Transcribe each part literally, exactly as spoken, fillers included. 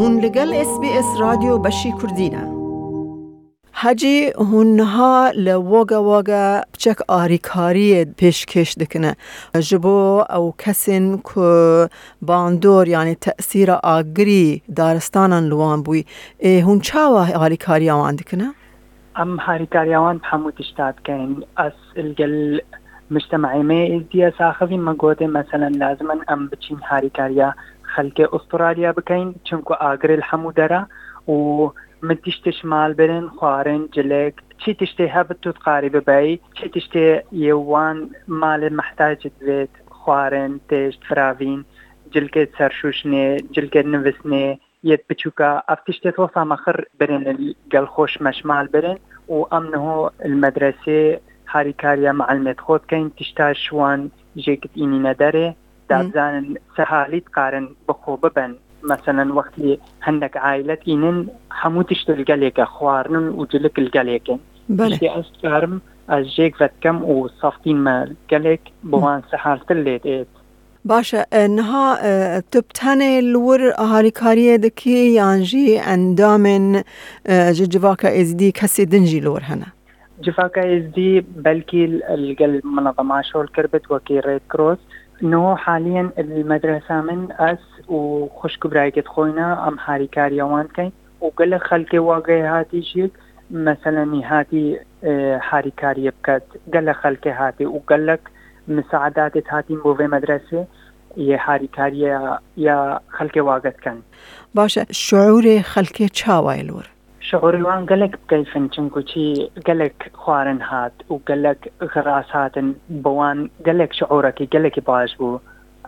Hûn li gel S B S Radyo beşî Kurdî ne. Hecî, hûn niha li Wagga Wagga piçek alîkariyê pêşkêş dikine. Ji bo ew kesên ku bandor, yanî tesîra agirî daristanan li wan bûyî, ê, hûn çawa alîkariya wan dikine? Em harîkariya wan bi hemû tişta dikeyn. Ez li gel mujtemeyê me êzdiye saxivî me gotê, meselen, lazim in em biçîn harîkariya xelkê Ustûralya bikeyn, çunku agirê li hemû dera û min tiştê ji mal birin, xwarin, cilek, çi tiştê hebit tu dikarî bibeyî, çi tiştê yê wan malê mehtac divêt, xwarin, têşt, firavîn, cilkê serşûşnê, cilkê nivisnê, yêt biçûka, ev tiştê tosa me xir birin li gel xweş me ji mal birin û em niho li medresê harîkariya meelimê xwe dikeyn, tişta ji wan jêkit înîne derê, da Hmm. bizanin sehalî dikarin bi xwe bibin. Meselen, wextî hindek aîlet înin, hemû tişt li gelêke, xwarinin û cilik li gelêkin. Belê. Tiştê ez dikarim, ez jêk vedikem û saftîn me gelek bi Hmm. wan sehaltir lê dêt. Baş e, e, niha, e, tu bi tenê li wir harîkariyê dikî yan jî endamên, e, ji civaka êzidî kesê din jî li wir hene? Civaka êzidî belkî li gel minezema şol kirbit wekî Red Cross. Niho haliyen li medresa min ez û xwişk û birayekê dixwîne, em harîkariya wan dikeyn û gelek xelkê Wagayê hatî jî, meselen, hatî, e, harîkariyê biket. Gelek xelkê hatî û gelek misaedatê hatîn bo vê medresê yê harîkariya ya xelkê Wage dikin. Baş e, şiûrê xelkê çawa ye li wir? Şiûrê wan gelek bi keyf in, çunku çi gelek xwarin hat û gelek xiras hatin, bi wan gelek şiûrekî gelekî baş bû.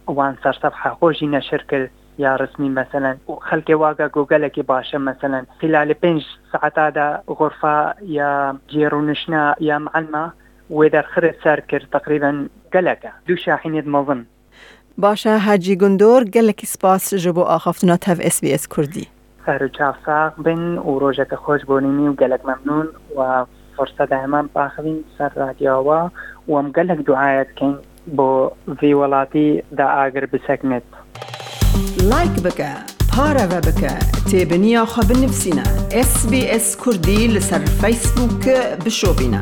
Wan ser sefha xwe jî neşir kir ya resmî, meselen, û xelkê Wage got gelekî baş e, meselen, xîlalê pênc saeta de xurfa ya cî rûniştina ya meelima wê derxirê ser kir, teqrîben gelek e. Du şahînêt mezin. Baş e, Hecî Gundor, gelekî spas ji bo axaftina tev S B S Kurdî. Ser û çav sax bin û rojeke xweş bonînî û gelek memnûn we firseta heman paxivîn ser radyoya we û em gelek duaya dikin bo vî welatî da agir biseknit. Like bike, pareve bike, têbiniya xwe binivîsîne. S B S Kurdî li ser Facebook bişopîne.